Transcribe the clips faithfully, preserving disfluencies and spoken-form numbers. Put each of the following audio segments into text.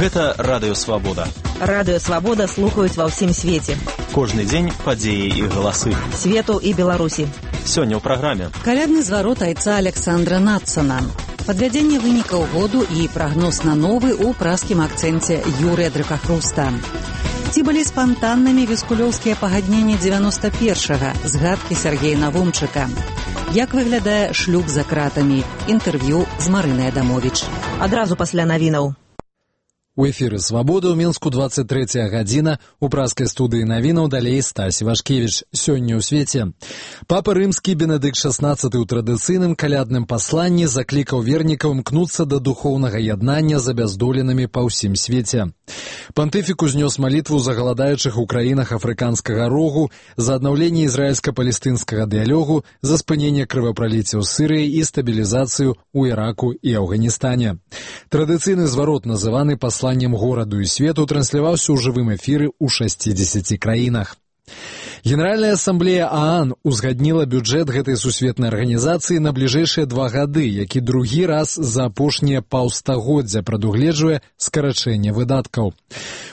Гэта Радыё Свабода. Радыё Свабода слухаюць ва ўсім свеце. Кожны дзень падзеі і галасы. Свету і Беларусі. Сёння ў праграме. Калядны зварот айца Александра Надсона. Падвядзенне вынікаў году і прагноз на новы ў праскім акцэнце Юрыя Дракахруста. Ці былі спантаннымі віскулёўскія пагадненні дзевяноста першага, згадкі Сергея Навумчыка. Як выглядае шлюб за кратамі? Інтэрв'ю з Марынай Адамовіч. Адразу пасля навінаў. У эфіры «Свабода» ў Мінску двадцать третья гадзіна, у праскай студыі навінаў далей Стась Івашкевіч. Сёння ў свеце. Папа рымскі Бенедыкт шаснаццаты ў традыцыйным калядным пасланні заклікаў вернікаў імкнуцца да духоўнага яднання з абяздоленымі па ўсім свеце. Пантыфік узнёс малітву за галадаючых у краінах афрыканскага рогу, за аднаўленне ізраільска-палестынскага дыялогу, за спыненне крывапраліцця ў Сырыі і стабілізацыю ў Іраку і Афганістане. Традыцыйны зварот, называны пасланнем гораду і свету, трансляваўся ў жывым эфіры ў шасцідзесяці краінах. Генеральная ассамблея ААН узгадніла бюджэт гэтай сусветнай арганізацыі на бліжэйшыя два гады, які другі раз за апошнія паўстагоддзя прадугледжвае скарачэнне выдаткаў.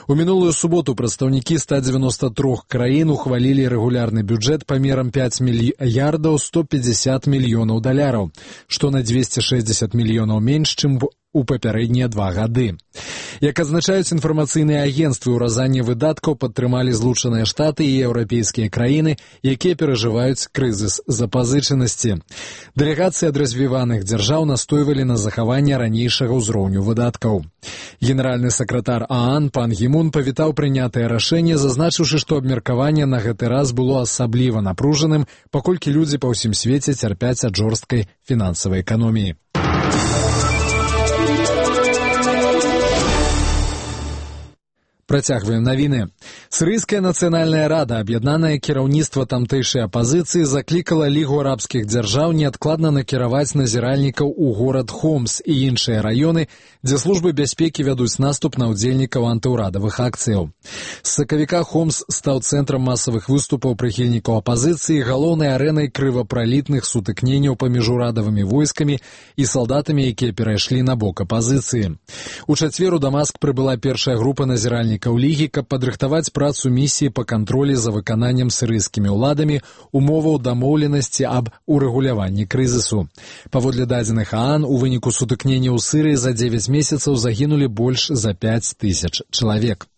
У мінулую суботу прадстаўнікі ста дзевяноста трох краін ухвалілі рэгулярны бюджэт памерам пяць мільярдаў сто пятьдесят мільёнаў даляраў, што на дзвесце шэсцьдзесят мільёнаў менш, чым у папярэднія два гады. Як адзначаюць інфармацыйныя агенцтвы, ўразанне выдаткаў падтрымалі Злучаныя Штаты і еўрапейскія краіны, якія перажываюць крызіс запазычанасці. Дэлегацыі ад развіваных дзяржаў настойвалі на захаванне ранейшага ўзроўню выдаткаў. Генеральны сакратар ААН пан Гі Мун павітаў прынятае рашэнне, зазначыўшы, што абмеркаванне на гэты раз было асабліва напружаным, паколькі людзі па ўсім свеце цярпяць ад жорсткай фінансавай эканоміі. Працягваем навіны. Сірыйская нацыянальная рада, аб'яднанае кіраўніцтва тамтэйшай апазіцыі, заклікала Лігу арабскіх дзяржаў неадкладна накіраваць назіральнікаў у горад Хомс і іншыя раёны, дзе службы бяспекі вядуць наступ на ўдзельнікаў антыўрадавых акцыяў. З сакавіка Хомс стаў цэнтрам масавых выступаў прыхільнікаў апазіцыі, галоўнай арэнай крывапралітных сутыкненняў паміж урадавымі войскамі і салдатамі, якія перайшлі на бок апазіцыі. У чацвер у Дамаск прыбыла першая група назіральнікаў Лігі, каб падрыхтаваць працу місіі па кантролі за выкананнем сірыйскімі ўладамі умоваў дамоўленасці аб урэгуляванні крызісу. Паводле дадзеных ААН, у выніку сутыкнення ў Сырыі за дзевяць месяцаў загінулі больш за пяць тысяч чалавек.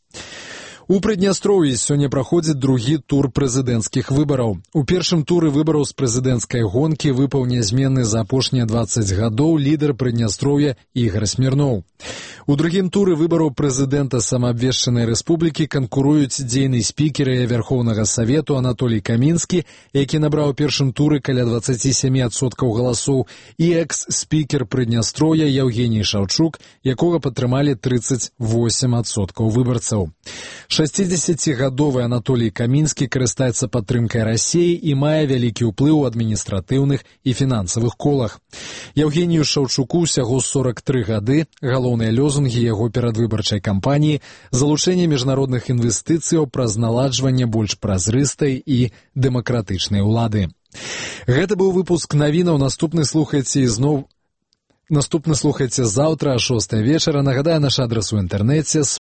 У Прыднястроўі сёння праходзіць другі тур прэзідэнцкіх выбараў. У першым туры выбараў з прэзідэнцкай гонкі выпаў нязменны за апошнія дваццаць гадоў лідар Прыднястроўя Ігар Смірноў. У другім туры выбараў прэзідэнта самаабвешчанай рэспублікі канкуруюць дзейны спікер Верхоўнага Савету Анатолій Камінскі, які набраў у першым туры каля дваццаць сем адсоткаў галасоў, і экс-спікер Прыднястроя Яўгеній Шаўчук, якога падтрымалі трыццаць восем адсоткаў выбарцаў. шасцідзесяцігадовы Анатолій Камінскі карыстаецца падтрымкай Расіі і мае вялікі ўплыў у адміністратыўных і фінансавых колах. Яўгенію Шаўчуку ўсяго сорак тры гады, галоўныя лёзунгі яго перадвыбарчай кампаніі – залучэнне міжнародных інвестыцыяў праз наладжванне больш празрыстай і дэмакратычнай улады. Гэта быў выпуск навінаў, наступны слухайце ізноў Наступны слухайце заўтра а шостай вечара. Нагадаю, наш адрас у інтэрнэце